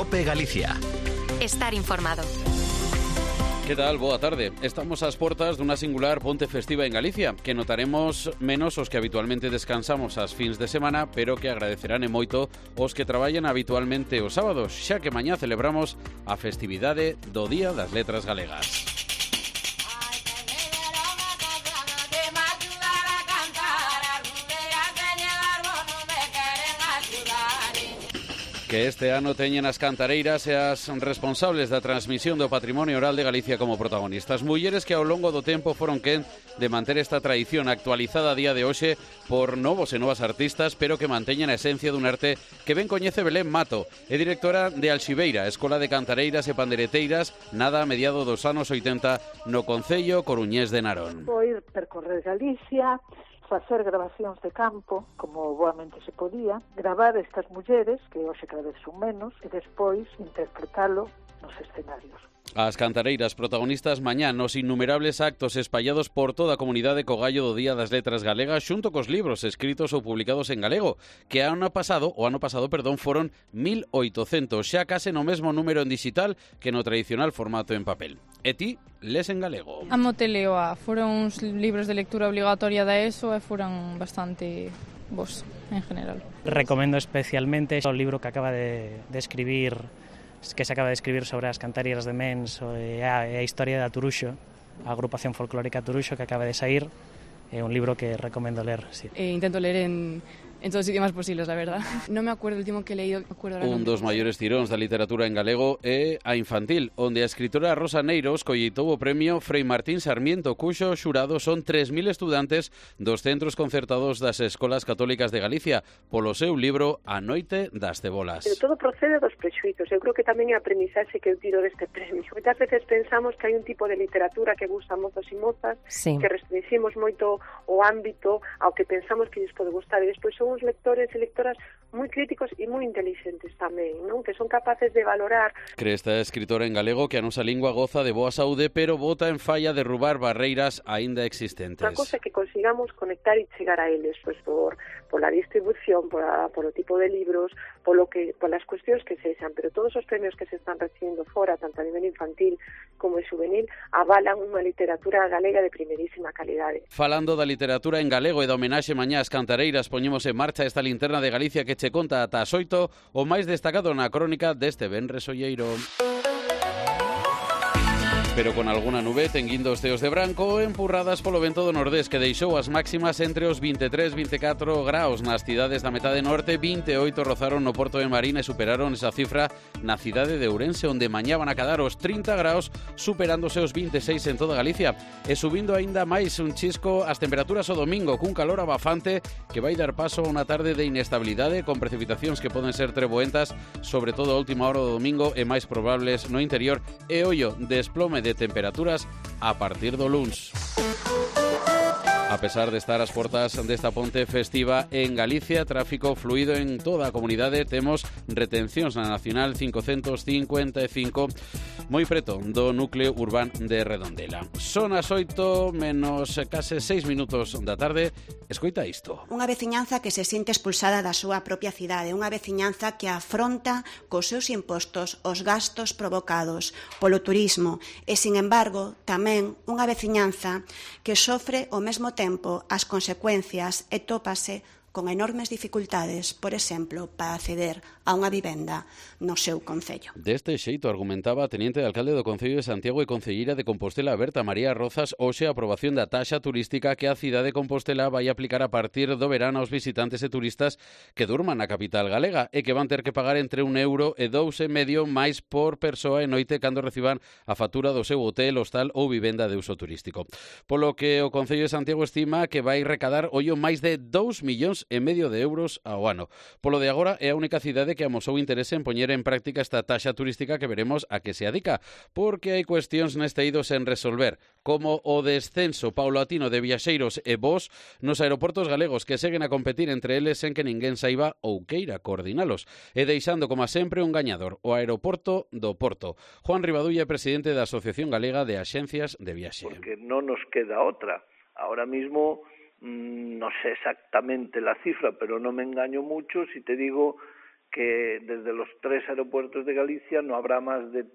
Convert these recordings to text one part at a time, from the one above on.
COPE Galicia. Estar informado. Que tal? Boa tarde. Estamos ás portas dunha singular ponte festiva en Galicia, que notaremos menos os que habitualmente descansamos ás fins de semana, pero que agradecerán e moito os que traballan habitualmente os sábados, xa que mañá celebramos a festividade do Día das Letras Galegas. Que este ano teñen as cantareiras e as responsables da transmisión do patrimonio oral de Galicia como protagonistas. Mulleres que ao longo do tempo foron quen de manter esta tradición actualizada a día de hoxe por novos e novas artistas, pero que manteñen a esencia dun arte que ben coñece Belén Mato. É directora de Alxibeira, Escola de Cantareiras e Pandereteiras, nada a mediado dos anos 80 no concello coruñés de Narón. Foi percorrer Galicia, facer grabacións de campo, como boamente se podía, gravar estas mulleres, que hoxe cada vez son menos, e despois interpretalo nos escenarios. As cantareiras protagonistas mañá nos innumerables actos espallados por toda a comunidade co gallo do Día das Letras Galegas xunto cos libros escritos ou publicados en galego, que o ano pasado, foron 1.800, xa case no mesmo número en digital que no tradicional formato en papel. E ti, les en galego? Amote Leoa, foron uns libros de lectura obligatoria da ESO e foron bastante bons en general. Recomendo especialmente o libro que acaba de escribir, que se acaba de escribir sobre as cantareiras de Mens e a historia da Turuxo, a agrupación folclórica Turuxo que acaba de sair. É un libro que recomendo ler, sí. Intento leer en todos os idiomas posibles, la verdad. No me acuerdo el último que he leído. Un dos maiores tiróns da literatura en galego é a infantil, onde a escritora Rosa Neiros colleitou o premio Frei Martín Sarmiento, cuxo xurado son 3.000 estudantes dos centros concertados das escolas católicas de Galicia, polo seu libro A Noite das Cebolas. Pero todo procede dos prexuizos. Eu creo que tamén é a aprendizaxe que eu tiro deste premio. Moitas veces pensamos que hai un tipo de literatura que gusta a mozos e mozas, sí, que restringimos moito o ámbito ao que pensamos que lles pode gustar, e despois son uns lectores e lectoras moi críticos e moi inteligentes tamén, non? Que son capaces de valorar. Cree esta escritora en galego que a nosa lingua goza de boa saúde, pero bota en falla derrubar barreiras aínda existentes. Unha cosa que consigamos conectar e chegar a eles, pois pola distribución, polo tipo de libros, polas cuestións que sexan, pero todos os premios que se están recibindo fora, tanto a nivel infantil como juvenil, avalan unha literatura galega de primerísima calidade. Falando da literatura en galego e da homenaxe mañá ás cantareiras, poñemos en marcha esta linterna de Galicia que che conta ata as 8 o máis destacado na crónica deste venres olleiro. Pero con alguna nube tenguindo os ceos de branco empurradas polo vento do nordés que deixou as máximas entre os 23 e 24 graus nas cidades da metade norte, 28 rozaron no Porto de Marín e superaron esa cifra na cidade de Ourense, onde mañá van a cadar os 30 graus, superándose os 26 en toda Galicia e subindo aínda máis un chisco as temperaturas o domingo cun calor abafante que vai dar paso a unha tarde de inestabilidade con precipitacións que poden ser treboentas, sobre todo a última hora do domingo e máis probables no interior e ollo, desplome de temperaturas a partir do luns. A pesar de estar ás portas desta ponte festiva en Galicia, tráfico fluido en toda a comunidade, temos retencións na Nacional 555 moi preto do núcleo urbano de Redondela. Son as 8 menos case 6 minutos da tarde. Escoita isto. Unha veciñanza que se sinte expulsada da súa propia cidade, unha veciñanza que afronta cos seus impostos os gastos provocados polo turismo e, sin embargo, tamén unha veciñanza que sofre ao mesmo tempo as consecuencias e tópase con enormes dificultades, por exemplo, para acceder a unha vivenda no seu concello. Deste xeito argumentaba a teniente de alcalde do Concello de Santiago e concelleira de Compostela, Berta María Rozas, hoxe a aprobación da taxa turística que a cidade de Compostela vai aplicar a partir do verano aos visitantes e turistas que durman na capital galega e que van ter que pagar entre €1 e €2,5 máis por persoa e noite cando reciban a factura do seu hotel, hostal ou vivenda de uso turístico. Polo que o Concello de Santiago estima que vai recadar ollo máis de €2,5 ao ano. Polo de agora é a única cidade que amosou interese en poñer en práctica esta taxa turística que veremos a que se adica, porque hai cuestións neste eido sen resolver, como o descenso paulatino de viaxeiros e voos nos aeroportos galegos que seguen a competir entre eles sen que ninguén saiba ou queira coordinalos, e deixando, como sempre, un gañador, o aeroporto do Porto. Juan Rivadulla é presidente da Asociación Galega de Axencias de Viaxe. Porque non nos queda outra. Ahora mismo no sé exactamente la cifra, pero no me engaño mucho si te digo que desde los 3 aeropuertos de Galicia no habrá más de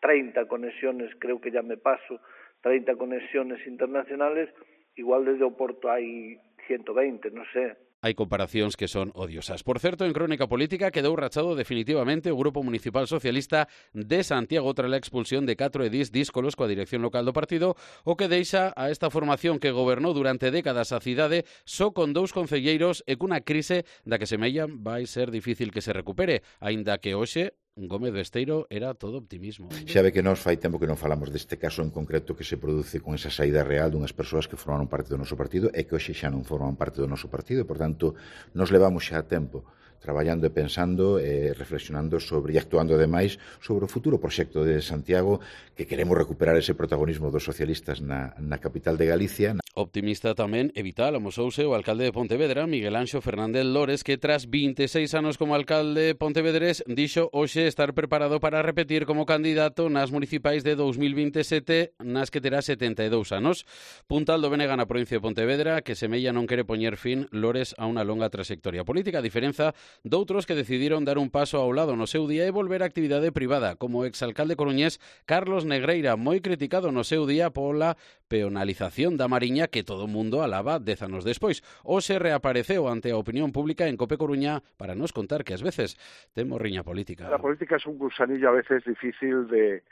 30 conexiones, creo que ya me paso, 30 conexiones internacionales, igual desde o Porto hai 120, non sei. Hai comparacións que son odiosas. Por certo, en Crónica Política quedou rachado definitivamente o Grupo Municipal Socialista de Santiago tras a expulsión de 4 edís díscolos coa dirección local do partido, o que deixa a esta formación que gobernou durante décadas a cidade só con 2 concelleiros e cunha crise da que semellan vai ser difícil que se recupere, aínda que hoxe Gómez Besteiro era todo optimismo. Xa ve que nós fai tempo que non falamos deste caso en concreto que se produce con esa saída real dunhas persoas que formaron parte do noso partido e que hoxe xa non forman parte do noso partido, e, por tanto, nos levamos xa a tempo traballando e pensando, reflexionando sobre e actuando ademais sobre o futuro proxecto de Santiago, que queremos recuperar ese protagonismo dos socialistas na capital de Galicia. Optimista tamén e vital amosouse o alcalde de Pontevedra, Miguel Anxo Fernández Lores, que tras 26 anos como alcalde pontevedrés dixo hoxe estar preparado para repetir como candidato nas municipais de 2027, nas que terá 72 anos. Puntal do BNG na provincia de Pontevedra, que semella non quere poñer fin Lores a unha longa trayectoria política, a diferenza doutros que decidiron dar un paso ao lado no seu día e volver á actividade privada, como o exalcalde coruñés Carlos Negreira, moi criticado no seu día pola peonalización da Mariña que todo o mundo alaba 10 anos despois. Hoxe reapareceu ante a opinión pública en Cope Coruña para nos contar que ás veces ten morriña política. La política es un gusanillo a veces difícil de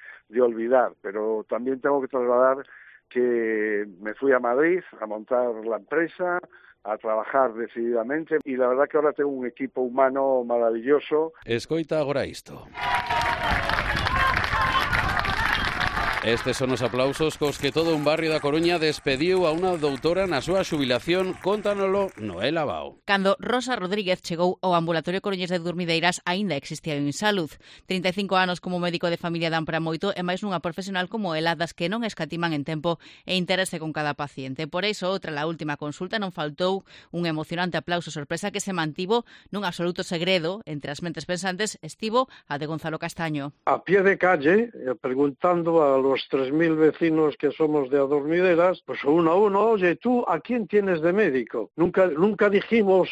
olvidar, pero también tengo que trasladar que me fui a Madrid a montar la empresa, a trabajar decididamente, y la verdad que ahora tengo un equipo humano maravilloso. Escoita agora isto. Estes son os aplausos cos que todo un barrio da Coruña despediu a unha doutora na súa xubilación, cóntanolo Noel Abao. Cando Rosa Rodríguez chegou ao ambulatorio coruñés de Durmideiras, aínda existía o Insalud. 35 anos como médico de familia dan para moito e máis nunha profesional como ela, das que non escatiman en tempo e interese con cada paciente. Por iso, outra a última consulta non faltou un emocionante aplauso sorpresa que se mantivo nun absoluto segredo entre as mentes pensantes, estivo a de Gonzalo Castaño. A pie de calle, preguntando a los 3.000 vecinos que somos de Adormideras, pues uno a uno, oye, ¿tú a quién tienes de médico? Nunca dijimos,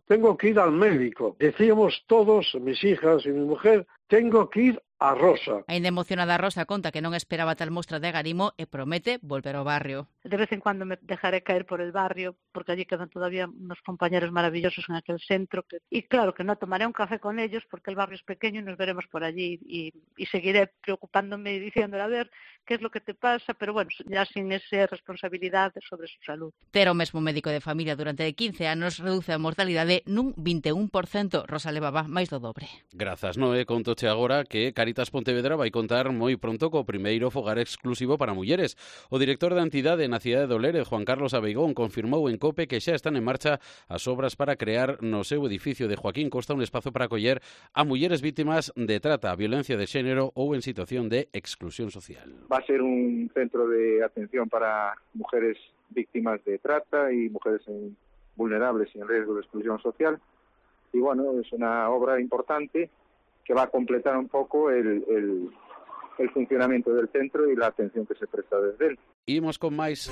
tengo que ir al médico. Decíamos todos, mis hijas y mi mujer, tengo que ir a Rosa. Ainda emocionada Rosa conta que non esperaba tal mostra de agarimo e promete volver ao barrio. De vez en cuando me dejaré caer por el barrio, porque allí quedan todavía unos compañeros maravillosos en aquel centro. Y claro que no tomaré un café con ellos porque el barrio es pequeño y nos veremos por allí. Y seguiré preocupándome y diciéndole a ver qué es lo que te pasa, pero bueno, ya sin esa responsabilidad sobre su salud. Ter o mesmo médico de familia durante 15 anos reduce a mortalidade nun 21%. Rosa levaba máis do dobre. Grazas, Noé. Contoche agora que Caritas Pontevedra vai contar moi pronto co primeiro fogar exclusivo para mulleres. O director da entidade na cidade de Olere, Juan Carlos Abeigón, confirmou en COPE que xa están en marcha as obras para crear no seu edificio de Joaquín Costa un espazo para acoller a mulleres vítimas de trata, violencia de xénero ou en situación de exclusión social. Va a ser un centro de atención para mujeres víctimas de trata y mujeres vulnerables y en riesgo de exclusión social. Y bueno, es una obra importante que va a completar un poco el funcionamiento del centro y la atención que se presta desde él. Imos con máis.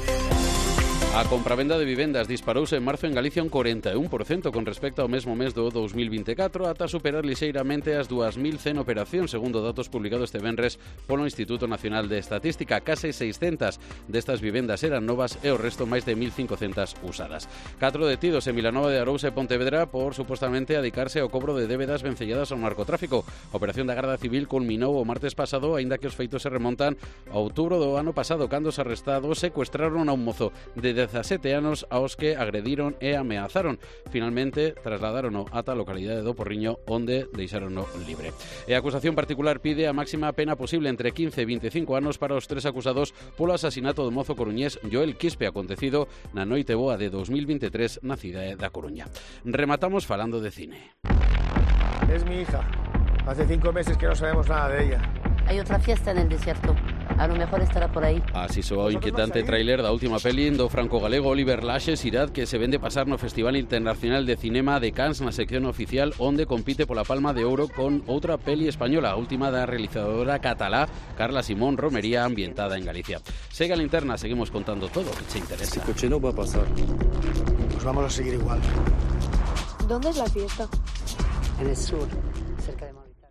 A compravenda de vivendas disparouse en marzo en Galicia un 41% con respecto ao mesmo mes do 2024 ata superar lixeiramente as 2.100 operacións, segundo datos publicados este venres polo Instituto Nacional de Estatística. Case 600 destas vivendas eran novas e o resto máis de 1.500 usadas. 4 detidos en Vilanova de Arousa e Pontevedra por supostamente dedicarse ao cobro de débedas vencelladas ao narcotráfico. A operación da Garda Civil culminou o martes pasado, aínda que os feitos se remontan a outubro do ano pasado, cando os arrestados secuestraron a un mozo de 17 anos aos que agrediron e ameazaron. Finalmente trasladarono ata a localidade do Porriño, onde deixarono libre. E a acusación particular pide a máxima pena posible entre 15 e 25 anos para os 3 acusados polo asasinato do mozo coruñés Joel Quispe, acontecido na noite boa de 2023 na cidade da Coruña. Rematamos falando de cine. Es mi hija. Hace 5 meses que no sabemos nada de ella. Hay otra fiesta en el desierto. A lo mejor estará por aí. Así soa o inquietante tráiler da última peli do franco-galego Oliver Laxe, Irad, que se vende pasar no Festival Internacional de Cinema de Cannes na sección oficial, onde compite pola Palma de Ouro con outra peli española, a última da realizadora catalá Carla Simón Romería, ambientada en Galicia. Segue a linterna, seguimos contando todo o que te interesa. Ese coche no va a pasar. Pues vamos a seguir igual. ¿Dónde es la fiesta? en el sur, cerca de Movilla.